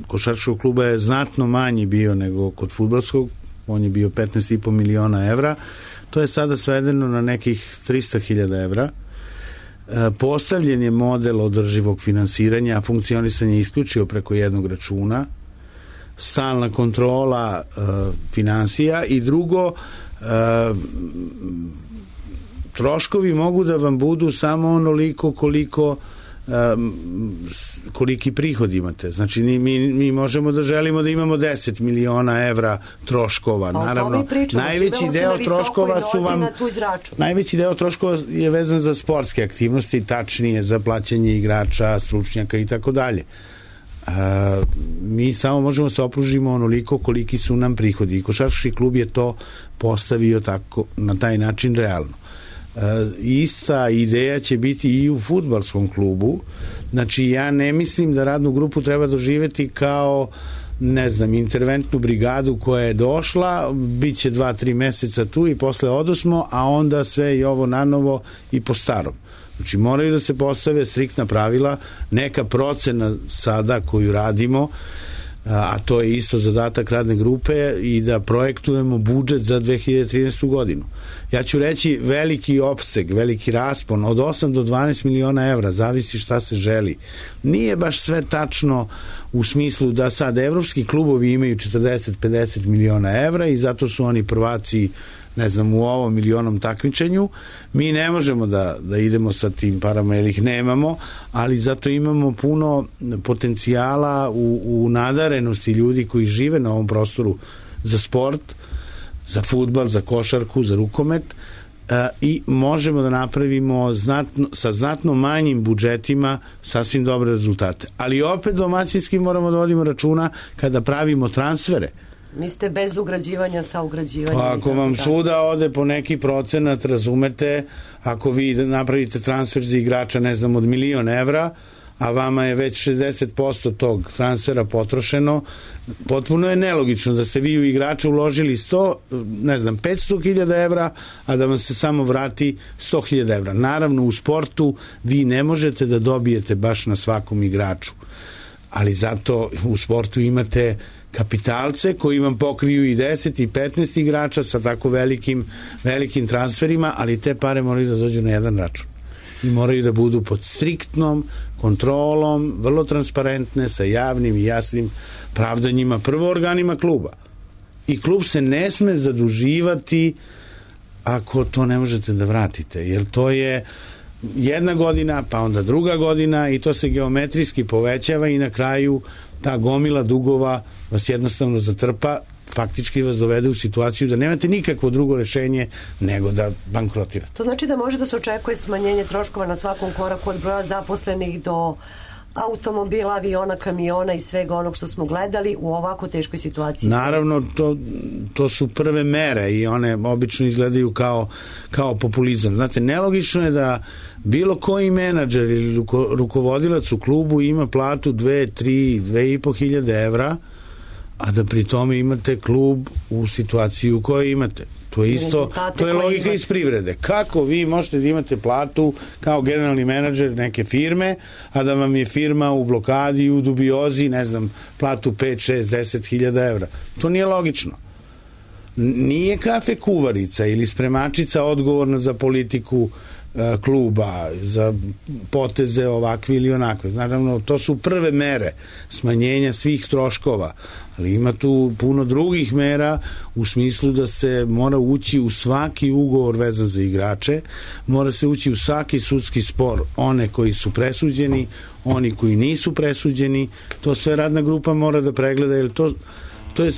[SPEAKER 3] košarkaškog kluba je znatno manji bio nego kod fudbalskog, on je bio petnaest i po miliona evra, to je sada svedeno na nekih trista hiljada evra. E, postavljen je model održivog finansiranja, a funkcionisanje je isključio preko jednog računa, stalna kontrola e, finansija i drugo, e, troškovi mogu da vam budu samo onoliko koliko e, koliki prihod imate. Znači mi, mi možemo da želimo da imamo deset miliona evra troškova.
[SPEAKER 2] Pa,
[SPEAKER 3] naravno,
[SPEAKER 2] pričamo,
[SPEAKER 3] najveći deo troškova su vam najveći deo troškova je vezan za sportske aktivnosti, tačnije za plaćanje igrača, stručnjaka i tako dalje. Uh, mi samo možemo se opružimo onoliko koliki su nam prihodi i košarkaški klub je to postavio tako, na taj način realno. Uh, ista ideja će biti i u fudbalskom klubu. Znači ja ne mislim da radnu grupu treba doživeti kao ne znam, interventnu brigadu koja je došla, bit će dva, tri meseca tu i posle odosmo, a onda sve i ovo nanovo i po starom. Znači moraju da se postave striktna pravila, neka procena sada koju radimo, a to je isto zadatak radne grupe, i da projektujemo budžet za dve hiljade trinaestu. godinu. Ja ću reći veliki opseg, veliki raspon od osam do dvanaest miliona evra, zavisi šta se želi. Nije baš sve tačno u smislu da sad evropski klubovi imaju četrdeset do pedeset miliona evra i zato su oni prvaci, ne znam, u ovom milionom takmičenju. Mi ne možemo da, da idemo sa tim parama jer ih nemamo, ali zato imamo puno potencijala u, u nadarenosti ljudi koji žive na ovom prostoru za sport, za fudbal, za košarku, za rukomet, e, i možemo da napravimo znatno, sa znatno manjim budžetima sasvim dobre rezultate. Ali opet domaćinski moramo da vodimo računa kada pravimo transfere.
[SPEAKER 2] Niste bez ugrađivanja sa ugrađivanjem.
[SPEAKER 3] Pa ako vam svuda ode po neki procenat, razumete, ako vi napravite transfer za igrača, ne znam, od milion evra, a vama je već šezdeset posto tog transfera potrošeno, potpuno je nelogično da ste vi u igrača uložili sto, ne znam, petsto hiljada evra, a da vam se samo vrati sto hiljada evra. Naravno, u sportu vi ne možete da dobijete baš na svakom igraču, ali zato u sportu imate kapitalce koji vam pokriju i deset i petnaest igrača sa tako velikim, velikim transferima, ali te pare moraju da dođu na jedan račun i moraju da budu pod striktnom kontrolom, vrlo transparentne, sa javnim i jasnim pravdanjima, prvo organima kluba. I klub se ne sme zaduživati ako to ne možete da vratite, jer to je jedna godina, pa onda druga godina i to se geometrijski povećava i na kraju ta gomila dugova vas jednostavno zatrpa, faktički vas dovede u situaciju da nemate nikakvo drugo rešenje nego da bankrotirate.
[SPEAKER 2] To znači da može da se očekuje smanjenje troškova na svakom koraku, od broja zaposlenih do automobila, aviona, kamiona i svega onog što smo gledali u ovako teškoj situaciji.
[SPEAKER 3] Naravno, to, to su prve mere i one obično izgledaju kao, kao populizam. Znate, nelogično je da bilo koji menadžer ili ruko, rukovodilac u klubu ima platu dve, tri, dve i po hiljade evra, a da pri tome imate klub u situaciji u kojoj imate. To je isto, to je logika imate iz privrede. Kako vi možete da imate platu kao generalni menadžer neke firme, a da vam je firma u blokadi, u dubiozi, ne znam, platu pet, šest, deset hiljada evra? To nije logično. Nije kafe kuvarica ili spremačica odgovorna za politiku kluba, za poteze ovakve ili onakve. Naravno, to su prve mere smanjenja svih troškova, ali ima tu puno drugih mera u smislu da se mora ući u svaki ugovor vezan za igrače, mora se ući u svaki sudski spor, one koji su presuđeni, oni koji nisu presuđeni, to sve radna grupa mora da pregleda, jer to to je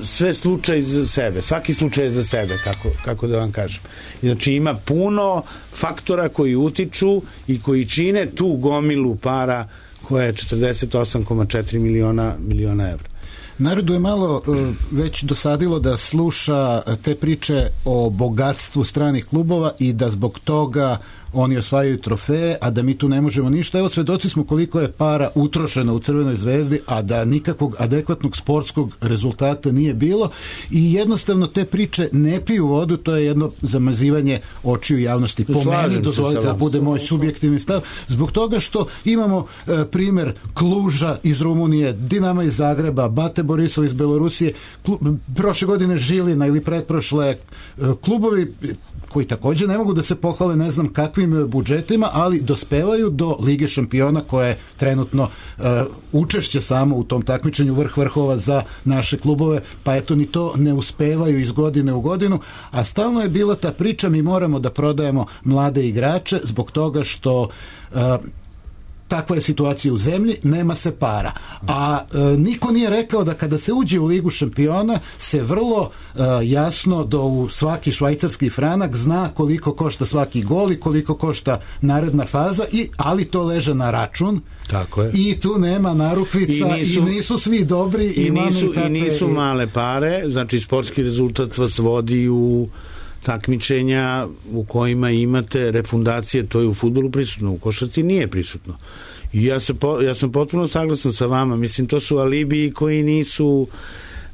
[SPEAKER 3] sve slučaj za sebe, svaki slučaj je za sebe, kako, kako da vam kažem. Znači ima puno faktora koji utiču i koji čine tu gomilu para koja je četrdeset osam zarez četiri miliona miliona evra.
[SPEAKER 4] Narodu je malo već dosadilo da sluša te priče o bogatstvu stranih klubova i da zbog toga oni osvajaju trofeje, a da mi tu ne možemo ništa. Evo, svedoci smo koliko je para utrošeno u Crvenoj zvezdi, a da nikakvog adekvatnog sportskog rezultata nije bilo i jednostavno te priče ne piju vodu, to je jedno zamazivanje očiju javnosti. Po meni, dozvolite da bude moj subjektivni stav, zbog toga što imamo e, primer Kluža iz Rumunije, Dinama iz Zagreba, Bate Borisov iz Belorusije, klub, prošle godine Žilina ili pretprošle, e, klubovi koji također ne mogu da se pohvale ne znam kakvim budžetima, ali dospevaju do Lige šampiona koja je trenutno uh, učešće samo u tom takmičenju vrh vrhova za naše klubove, pa eto ni to ne uspevaju iz godine u godinu, a stalno je bila ta priča, mi moramo da prodajemo mlade igrače zbog toga što uh, takva je situacija u zemlji, nema se para. A e, niko nije rekao da kada se uđe u Ligu šampiona se vrlo e, jasno do u svaki švajcarski franak zna koliko košta svaki gol i koliko košta naredna faza, i, ali to leže na račun.
[SPEAKER 3] Tako je.
[SPEAKER 4] I tu nema narukvica i nisu, i nisu svi dobri i,
[SPEAKER 3] i, nisu,
[SPEAKER 4] tate,
[SPEAKER 3] i nisu male pare, znači sportski rezultat vas vodi u takmičenja u kojima imate refundacije, to je u fudbalu prisutno, u košarci nije prisutno. I ja, se po, ja sam potpuno saglasan sa vama, mislim to su alibiji koji nisu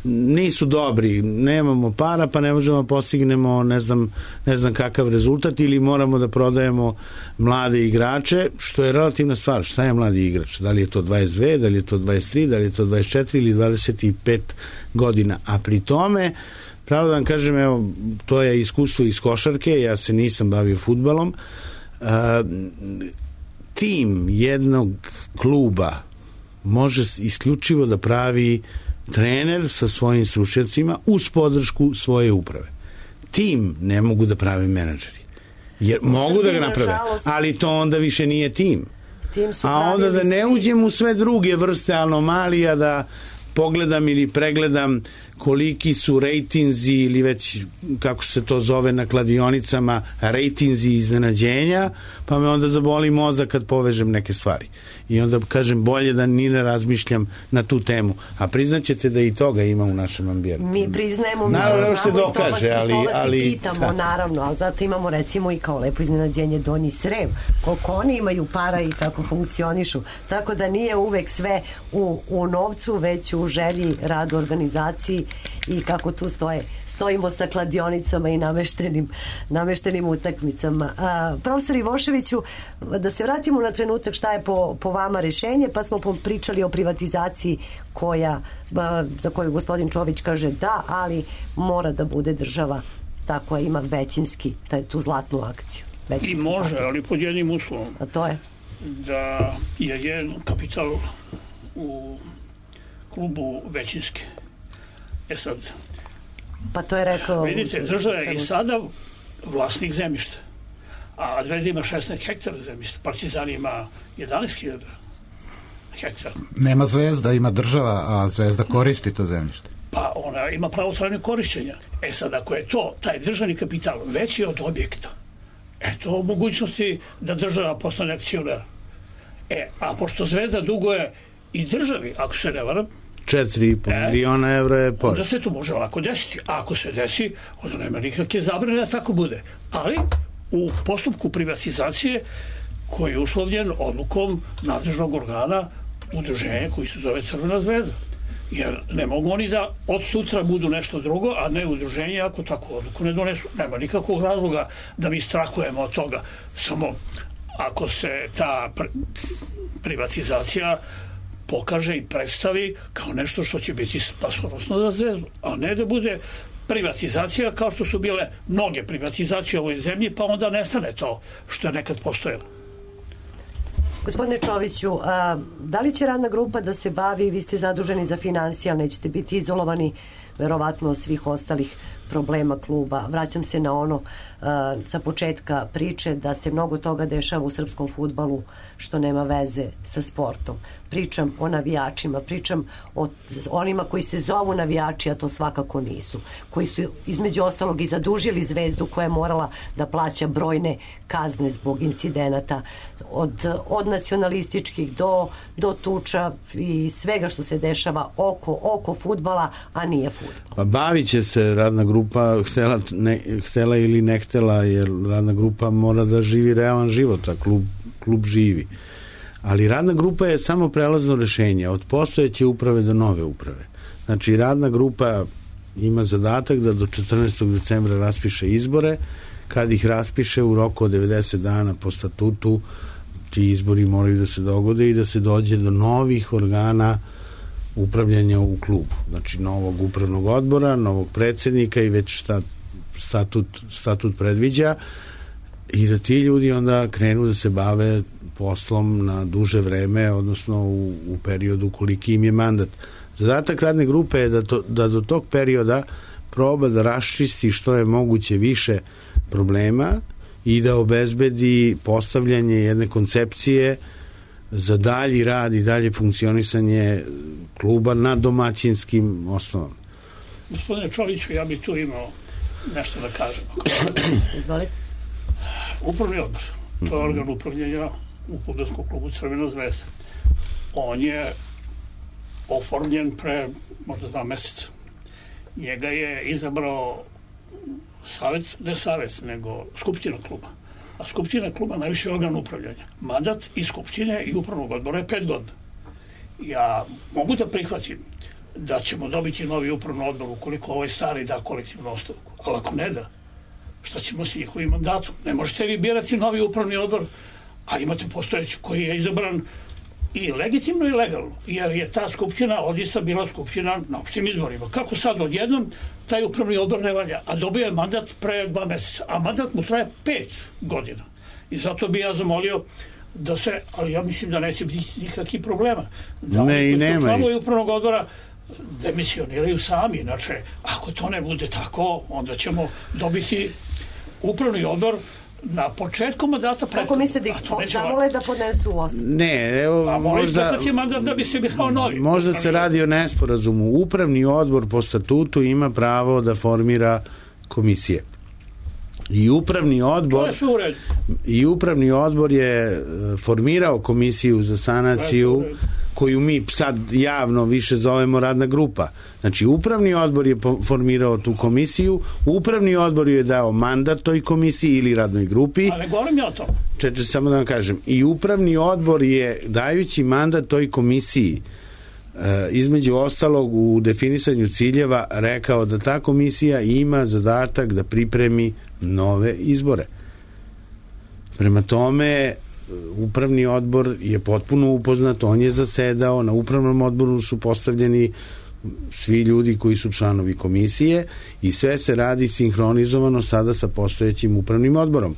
[SPEAKER 3] nisu dobri, nemamo para pa ne možemo postignemo ne znam, ne znam kakav rezultat ili moramo da prodajemo mlade igrače, što je relativna stvar. Šta je mladi igrač? Da li je to dvadeset dve, da li je to dvadeset tri, da li je to dvadeset četiri ili dvadeset pet godina, a pri tome pravo da vam kažem, evo, to je iskustvo iz košarke, ja se nisam bavio fudbalom. Uh, tim jednog kluba može isključivo da pravi trener sa svojim stručnjacima uz podršku svoje uprave. Tim ne mogu da pravi menadžeri. Jer mogu da ga naprave, ali to onda više nije tim. A onda da ne uđem u sve druge vrste anomalija, da pogledam ili pregledam koliki su rejtinzi ili već kako se to zove na kladionicama, rejtinzi iznenađenja, pa me onda zaboli mozak kad povežem neke stvari. I onda kažem bolje da ni ne razmišljam na tu temu. A priznaćete da i toga ima u našem ambijentu.
[SPEAKER 2] Mi priznajemo, mi
[SPEAKER 3] naravno se dokaže, ali, ali
[SPEAKER 2] pitamo, da. Naravno, ali zato imamo recimo i kao lepo iznenađenje Donji Srem, koliko oni imaju para i kako funkcionišu. Tako da nije uvek sve u, u novcu, već u želji, radu, organizaciji i kako tu stoje. Stojimo sa kladionicama i nameštenim, nameštenim utakmicama. A, profesor Ivoševiću, da se vratimo na trenutak šta je po, po vama rešenje, pa smo pričali o privatizaciji koja, a, za koju gospodin Čović kaže da, ali mora da bude država ta koja ima većinski, taj, tu zlatnu akciju.
[SPEAKER 1] I može, paket. Ali pod jednim uslovom.
[SPEAKER 2] A to je?
[SPEAKER 1] Da je jedan kapital u klubu većinski. E sad,
[SPEAKER 2] pa to je rekao...
[SPEAKER 1] Vidite, država je i sada vlasnik zemljišta, a Zvezda ima šesnaest hektara zemljišta, Partizan ima jedanaest hiljada hektara.
[SPEAKER 4] Nema Zvezda, ima država, a Zvezda koristi to zemljište.
[SPEAKER 1] Pa ona ima pravo trajnog korišćenja. E sad, ako je to, taj državni kapital veći od objekta, eto mogućnosti da država postane akcionar. E, a pošto Zvezda duguje i državi, ako se ne varam,
[SPEAKER 3] četiri i po miliona evra je porez.
[SPEAKER 1] Onda se to može lako desiti. A ako se desi, onda nema nikakve zabrane da tako bude. Ali u postupku privatizacije koji je uslovljen odlukom nadležnog organa udruženja koji se zove Crvena zvezda. Jer ne mogu oni da od sutra budu nešto drugo, a ne udruženje ako takvu odluku ne donesu. Nema nikakvog razloga da mi strahujemo od toga. Samo ako se ta privatizacija pokaže i predstavi kao nešto što će biti spasonosno za Zvezdu, a ne da bude privatizacija kao što su bile mnoge privatizacije u ovoj zemlji, pa onda nestane to što je nekad postojalo.
[SPEAKER 2] Gospodine Čoviću, a, da li će radna grupa da se bavi, vi ste zaduženi za finansije, ali nećete biti izolovani verovatno od svih ostalih problema kluba. Vraćam se na ono a, sa početka priče da se mnogo toga dešava u srpskom fudbalu što nema veze sa sportom. Pričam o navijačima, pričam o onima koji se zovu navijači, a to svakako nisu. Koji su između ostalog i zadužili Zvezdu koja je morala da plaća brojne kazne zbog incidenata od, od nacionalističkih do, do tuča i svega što se dešava oko, oko fudbala, a nije fudbal.
[SPEAKER 3] Pa bavit će se radna grupa, htela, ne, htela ili ne htela, jer radna grupa mora da živi realan život, a klub, klub živi. Ali radna grupa je samo prelazno rešenje od postojeće uprave do nove uprave. Znači, radna grupa ima zadatak da do četrnaestog decembra raspiše izbore. Kad ih raspiše u roku od devedeset dana po statutu, ti izbori moraju da se dogode i da se dođe do novih organa upravljanja u klubu. Znači, novog upravnog odbora, novog predsednika i već šta statut, statut predviđa, i da ti ljudi onda krenu da se bave poslom na duže vreme, odnosno u, u periodu koliki im je mandat. Zadatak radne grupe je da, to, da do tog perioda proba da raščisti što je moguće više problema i da obezbedi postavljanje jedne koncepcije za dalji rad i dalje funkcionisanje kluba na domaćinskim osnovama.
[SPEAKER 1] Gospodine Čoviću, ja bih tu imao nešto da kažem.
[SPEAKER 2] Izvolite.
[SPEAKER 1] Upravni odbor, to je organ upravljanja u fudbalskom klubu Crvena zvezda. On je oformljen pre možda dva meseca. Njega je izabrao savjet, ne savjet, nego skupština kluba. A skupština kluba najviše organ upravljanja. Mandat i skupštine i upravnog odbora je pet godina. Ja mogu da prihvatim da ćemo dobiti novi upravni odbor ukoliko ovaj stari da kolektivnu ostavku. Ali ako ne da, šta ćemo s njihovim mandatom? Ne možete vi birati novi upravni odbor, a imate postojeći koji je izabran i legitimno i legalno, jer je ta skupština odista bila skupština na opštim izborima. Kako sad odjednom taj upravni odbor ne valja, a dobio je mandat pre dva meseca, a mandat mu traje pet godina. I zato bi ja zamolio da se, ali ja mislim da neće biti nikakvih problema. Da
[SPEAKER 3] ne, i nema.
[SPEAKER 1] Članovi upravnog odbora demisioniraju sami, inače, ako to ne bude tako, onda ćemo dobiti upravni odbor na početku mandata.
[SPEAKER 2] Kako misle da ih zamole da podnesu ostavku?
[SPEAKER 3] Ne, evo,
[SPEAKER 1] a
[SPEAKER 3] možda,
[SPEAKER 1] mandat da bi se birao novi.
[SPEAKER 3] Možda se radi o nesporazumu. Upravni odbor po statutu ima pravo da formira komisije. I upravni odbor i upravni odbor je formirao komisiju za sanaciju koju mi sad javno više zovemo radna grupa. Znači, upravni odbor je formirao tu komisiju, upravni odbor je dao mandat toj komisiji ili radnoj grupi.
[SPEAKER 1] Ali govorim ja o tom.
[SPEAKER 3] Čeče, samo da vam kažem. I upravni odbor je, dajući mandat toj komisiji, između ostalog u definisanju ciljeva rekao da ta komisija ima zadatak da pripremi nove izbore. Prema tome, upravni odbor je potpuno upoznat, on je zasedao, na upravnom odboru su postavljeni svi ljudi koji su članovi komisije i sve se radi sinhronizovano sada sa postojećim upravnim odborom.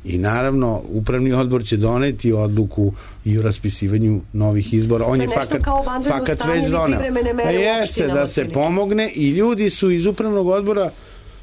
[SPEAKER 3] I naravno, upravni odbor će doneti odluku i o raspisivanju novih izbora. On je fakat, fakat već doneo. Pa jeste da se pomogne i ljudi su iz upravnog odbora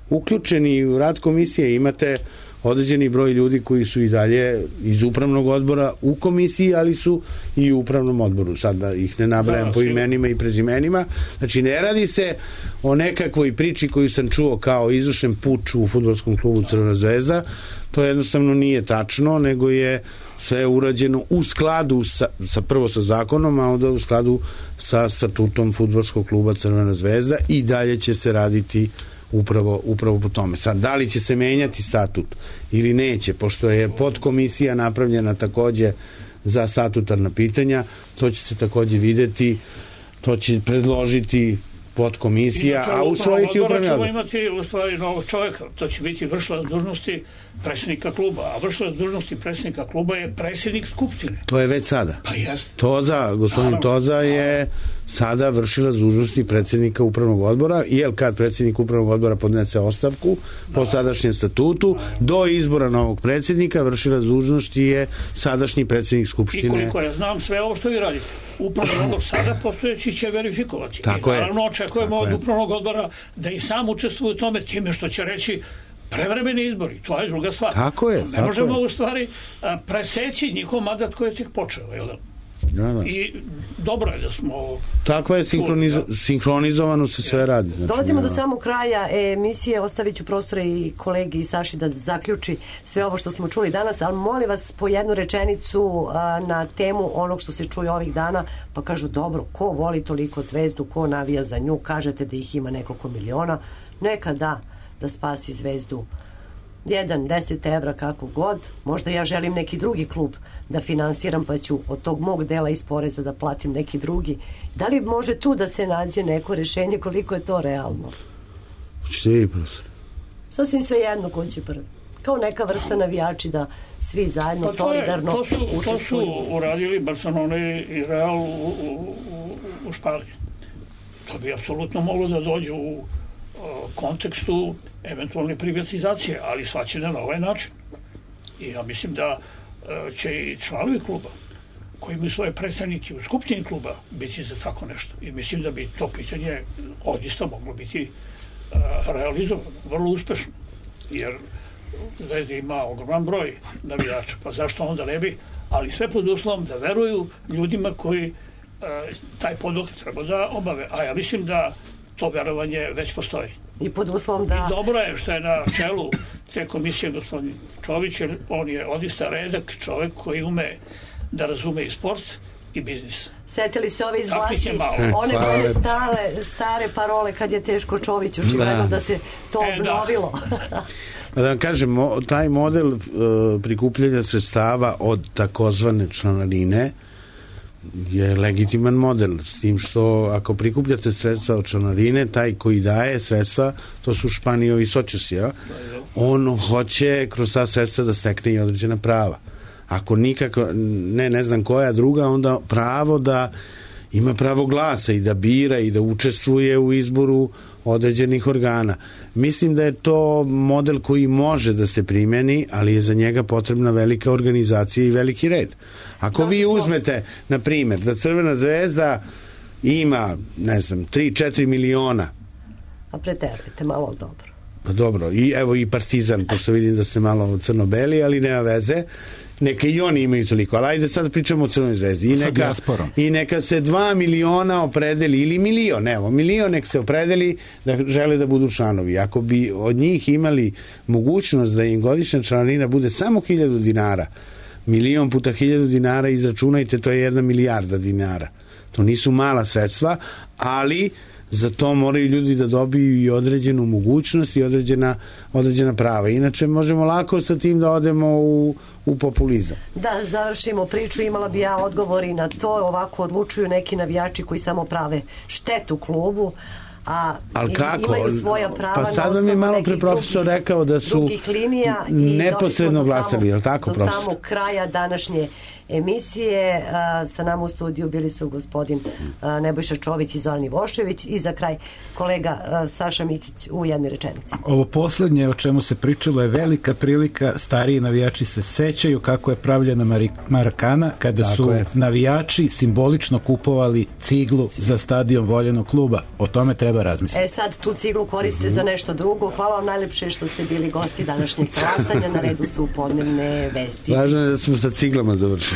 [SPEAKER 3] uključeni u rad komisije. Imate određeni broj ljudi koji su i dalje iz upravnog odbora u komisiji, ali su i u upravnom odboru. Sad da ih ne nabrajam da, po imenima i prezimenima. Znači, ne radi se o nekakvoj priči koju sam čuo kao izvršen puč u fudbalskom klubu Crvena zvezda. To jednostavno nije tačno, nego je sve urađeno u skladu sa, sa prvo sa zakonom, a onda u skladu sa statutom fudbalskog kluba Crvena zvezda i dalje će se raditi upravo, upravo po tome. Sad, da li će se menjati statut ili neće, pošto je podkomisija napravljena takođe za statutarna pitanja, to će se takođe videti To će predložiti podkomisija, a usvojiti upravni odbor.
[SPEAKER 1] Ćemo imati u stvari novog čovjeka, to će biti vršilac dužnosti predsjednika kluba, a vršilac dužnosti predsjednika kluba je predsjednik skupštine.
[SPEAKER 3] To je već sada.
[SPEAKER 1] Pa jeste.
[SPEAKER 3] Toza, gospodin Naravno. Toza je sada vršilac dužnosti predsjednika upravnog odbora, jer kad predsjednik upravnog odbora podnese ostavku da. po sadašnjem statutu, da. do izbora novog predsjednika vršilac dužnosti je sadašnji predsjednik skupštine.
[SPEAKER 1] I koliko ja znam, sve ovo što vi radite, upravni odbor sada postojeći će verifikovati.
[SPEAKER 3] Tako
[SPEAKER 1] I naravno
[SPEAKER 3] je.
[SPEAKER 1] očekujemo od upravnog odbora da i sam učestvuje u tome time što će reći prevremeni izbori, to je druga stvar.
[SPEAKER 3] Tako je.
[SPEAKER 1] Ne
[SPEAKER 3] tako
[SPEAKER 1] možemo
[SPEAKER 3] je.
[SPEAKER 1] u stvari preseći njihov mandat koji je tek počeo, jel da?
[SPEAKER 3] Da, da.
[SPEAKER 1] I dobro je da smo...
[SPEAKER 3] Tako je, sinhronizo, da. sinhronizovano se sve radi.
[SPEAKER 2] Znači, dolazimo do samog kraja emisije, ostavit ću prostore i kolegi i Saši da zaključi sve ovo što smo čuli danas, ali molim vas po jednu rečenicu a, na temu onog što se čuje ovih dana, pa kažu dobro, ko voli toliko Zvezdu, ko navija za nju, kažete da ih ima nekoliko miliona, neka da, da spasi Zvezdu jedan, deset evra, kako god. Možda ja želim neki drugi klub da finansiram, pa ću od tog mog dela iz poreza da platim neki drugi. Da li može tu da se nađe neko rešenje, koliko je to realno?
[SPEAKER 3] Hoćete vi, profesor?
[SPEAKER 2] Sasvim sve jedno ko će prvi. Kao neka vrsta navijači da svi zajedno
[SPEAKER 1] pa to
[SPEAKER 2] solidarno
[SPEAKER 1] je, to, su, to su uradili Barcelona i Real u, u, u, u Španiji. To bi apsolutno moglo da dođe u kontekstu eventualne privatizacije, ali svačine na ovaj način. I ja mislim da će i članovi kluba koji imaju svoje predstavnike u skupštini kluba biti za tako nešto. I mislim da bi to pitanje odista moglo biti uh, realizovano, vrlo uspešno. Jer Zvezda ima ogroman broj navijača, pa zašto onda ne bi, ali sve pod uslovom da veruju ljudima koji uh, taj poduhvat treba da obave. A ja mislim da to verovanje već postoji.
[SPEAKER 2] I pod uslovom da...
[SPEAKER 1] I dobro je što je na čelu te komisije gospodin Čović, jer on je odista redak čovjek koji ume da razume i sport i biznis.
[SPEAKER 2] Setili se ove iz vlasti, one koje stare, stare parole kad je teško Čović, očigledno da. da se to e, obnovilo.
[SPEAKER 3] Da. da vam kažem, taj model uh, prikupljanja sredstava od takozvane članarine je legitiman model, s tim što ako prikupljate sredstva od članarine, taj koji daje sredstva, to su Španijovi sočesi, ja? On hoće kroz ta sredstva da stekne i određena prava. Ako nikako, ne, ne znam koja druga, onda pravo da ima pravo glasa i da bira i da učestvuje u izboru određenih organa. Mislim da je to model koji može da se primeni, ali je za njega potrebna velika organizacija i veliki red. Ako vi uzmete, na primjer, da Crvena zvezda ima, ne znam, tri četiri miliona.
[SPEAKER 2] A preterujete malo dobro.
[SPEAKER 3] Pa dobro, i evo i Partizan, pošto vidim da ste malo crno-beli, ali nema veze. Neka i oni imaju toliko, ali ajde sad pričamo o Crvenoj zvezdi. I neka, I neka se dva miliona opredeli, ili milion, evo, milion nek se opredeli da žele da budu članovi. Ako bi od njih imali mogućnost da im godišnja članarina bude samo hiljadu dinara, milion puta hiljadu dinara, izračunajte, to je jedna milijarda dinara. To nisu mala sredstva, ali za to moraju ljudi da dobiju i određenu mogućnost i određena, određena prava. Inače možemo lako sa tim da odemo u, u populizam.
[SPEAKER 2] Da, završimo priču, imala bi ja odgovor i na to. Ovako odlučuju neki navijači koji samo prave štetu klubu, a
[SPEAKER 3] ali kako?
[SPEAKER 2] Imaju svoja prava.
[SPEAKER 3] Pa sad vam je malo pre profesor rekao da su neposredno glasali, je li tako,
[SPEAKER 2] do
[SPEAKER 3] profesor?
[SPEAKER 2] Do samog kraja današnje emisije. A, sa nama u studiju bili su gospodin a, Nebojša Čović i Zoran Ivošević i za kraj kolega a, Saša Mikić u jednoj rečenici.
[SPEAKER 4] Ovo poslednje o čemu se pričalo je velika prilika. Stariji navijači se sećaju kako je pravljena Marakana kada tako su je. navijači simbolično kupovali ciglu za stadion voljenog kluba. O tome treba razmisliti.
[SPEAKER 2] E sad tu ciglu koriste mm-hmm. za nešto drugo. Hvala vam najlepše što ste bili gosti današnjeg glasanja. Na redu su podnevne vesti.
[SPEAKER 3] Važno je da smo sa ciglama završili.